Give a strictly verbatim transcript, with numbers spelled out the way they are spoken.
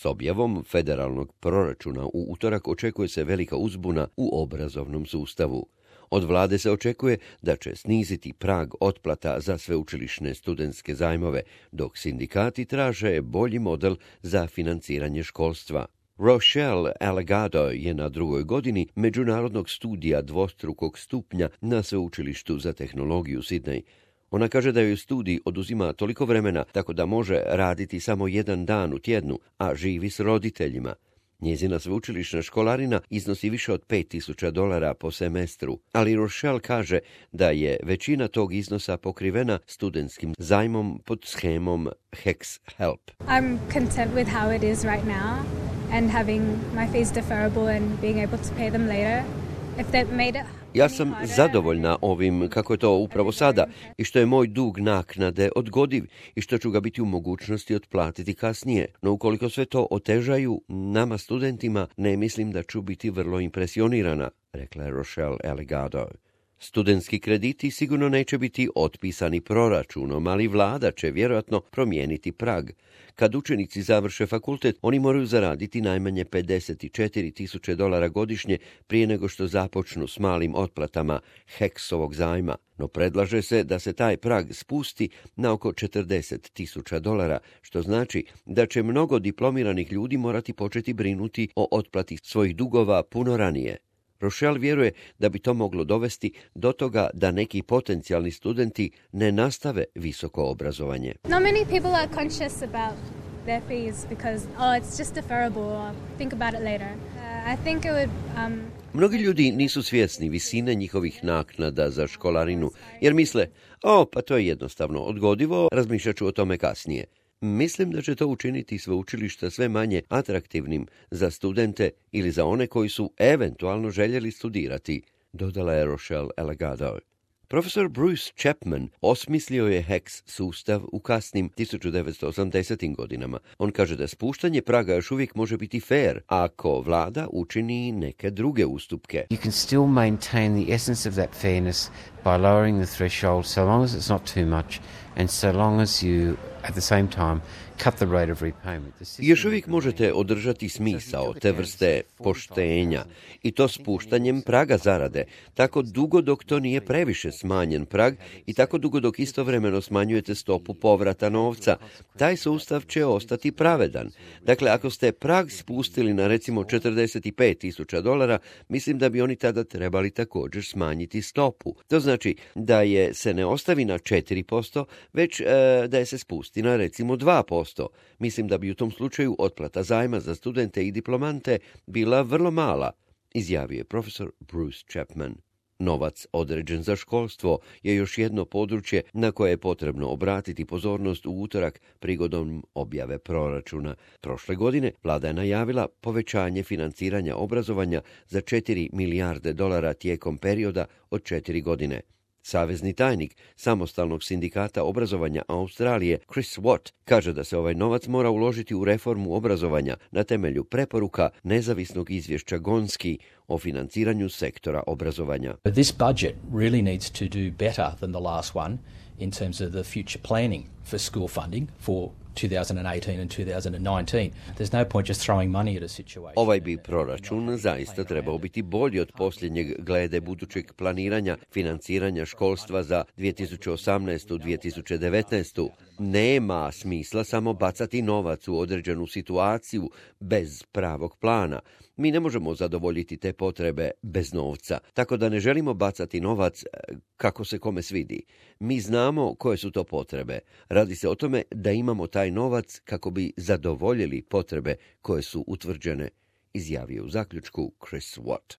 S objavom federalnog proračuna u utorak očekuje se velika uzbuna u obrazovnom sustavu. Od vlade se očekuje da će sniziti prag otplata za sveučilišne studentske zajmove, dok sindikati traže bolji model za financiranje školstva. Rochelle Allegado je na drugoj godini međunarodnog studija dvostrukog stupnja na sveučilištu za tehnologiju Sydney. Ona kaže da joj studij oduzima toliko vremena tako da može raditi samo jedan dan u tjednu, a živi s roditeljima. Njezina sveučilišna školarina iznosi više od pet tisuća dolara po semestru, ali Rochelle kaže da je većina tog iznosa pokrivena studentskim zajmom pod shemom Hex Help. I'm content with how it is right now and having my fees deferrable and being able to pay them later. If that made it Ja sam zadovoljna ovim kako je to upravo sada i što je moj dug naknade odgodiv i što ću ga biti u mogućnosti otplatiti kasnije. No ukoliko sve to otežaju nama studentima, ne mislim da ću biti vrlo impresionirana, rekla je Rochelle Allegado. Studentski krediti sigurno neće biti otpisani proračunom, ali vlada će vjerojatno promijeniti prag. Kad učenici završe fakultet, oni moraju zaraditi najmanje pedeset četiri tisuće dolara godišnje prije nego što započnu s malim otplatama Hexovog zajma. No predlaže se da se taj prag spusti na oko četrdeset tisuća dolara, što znači da će mnogo diplomiranih ljudi morati početi brinuti o otplati svojih dugova puno ranije. Rochelle vjeruje da bi to moglo dovesti do toga da neki potencijalni studenti ne nastave visoko obrazovanje. Not many people are conscious about their fees because oh it's just deferrable or think about it later. Uh, I think it would um Mnogi ljudi nisu svjesni visine njihovih naknada za školarinu, jer misle, o, pa to je jednostavno odgodivo, razmišljat ću o tome kasnije. Mislim da će to učiniti sveučilišta sve manje atraktivnim za studente ili za one koji su eventualno željeli studirati, dodala je Rochelle Allegado. Profesor Bruce Chapman osmislio je Hex sustav u kasnim tisuću devetsto osamdesetim godinama. On kaže da spuštanje praga još uvijek može biti fair ako vlada učini neke druge ustupke. You can still maintain the essence of that fairness by lowering the threshold so long as it's not too much and so long as you at the same time cut the rate of repayment. Još uvijek možete održati smisao te vrste poštenja i to spuštanjem praga zarade, tako dugo dok to nije previše smanjen prag i tako dugo dok istovremeno smanjujete stopu povrata novca. Taj sustav će ostati pravedan. Dakle, ako ste prag spustili na recimo četrdeset pet tisuća dolara, mislim da bi oni tada trebali također smanjiti stopu. To znači da je se ne ostavi na četiri posto, već e, da je se spusti na recimo dva posto. Mislim da bi u tom slučaju otplata zajma za studente i diplomante bila vrlo mala, izjavio je profesor Bruce Chapman. Novac određen za školstvo je još jedno područje na koje je potrebno obratiti pozornost u utorak prigodom objave proračuna. Prošle godine vlada je najavila povećanje financiranja obrazovanja za četiri milijarde dolara tijekom perioda od četiri godine. Savezni tajnik samostalnog sindikata obrazovanja Australije Chris Watt kaže da se ovaj novac mora uložiti u reformu obrazovanja na temelju preporuka nezavisnog izvješća Gonski o financiranju sektora obrazovanja. This budget really needs to do better than the last one in terms of the future planning for school funding for two thousand eighteen and two thousand nineteen. There's no point just throwing money at a situation. Ovaj bi proračun zaista trebao biti bolji od posljednjeg glede budućeg planiranja financiranja školstva za dvije tisuće osamnaestu do dvije tisuće devetnaestu. Nema smisla samo bacati novac u određenu situaciju bez pravog plana. Mi ne možemo zadovoljiti te potrebe bez novca, tako da ne želimo bacati novac kako se kome svidi. Mi znamo koje su to potrebe. Radi se o tome da imamo taj novac kako bi zadovoljili potrebe koje su utvrđene, izjavio u zaključku Chris Watt.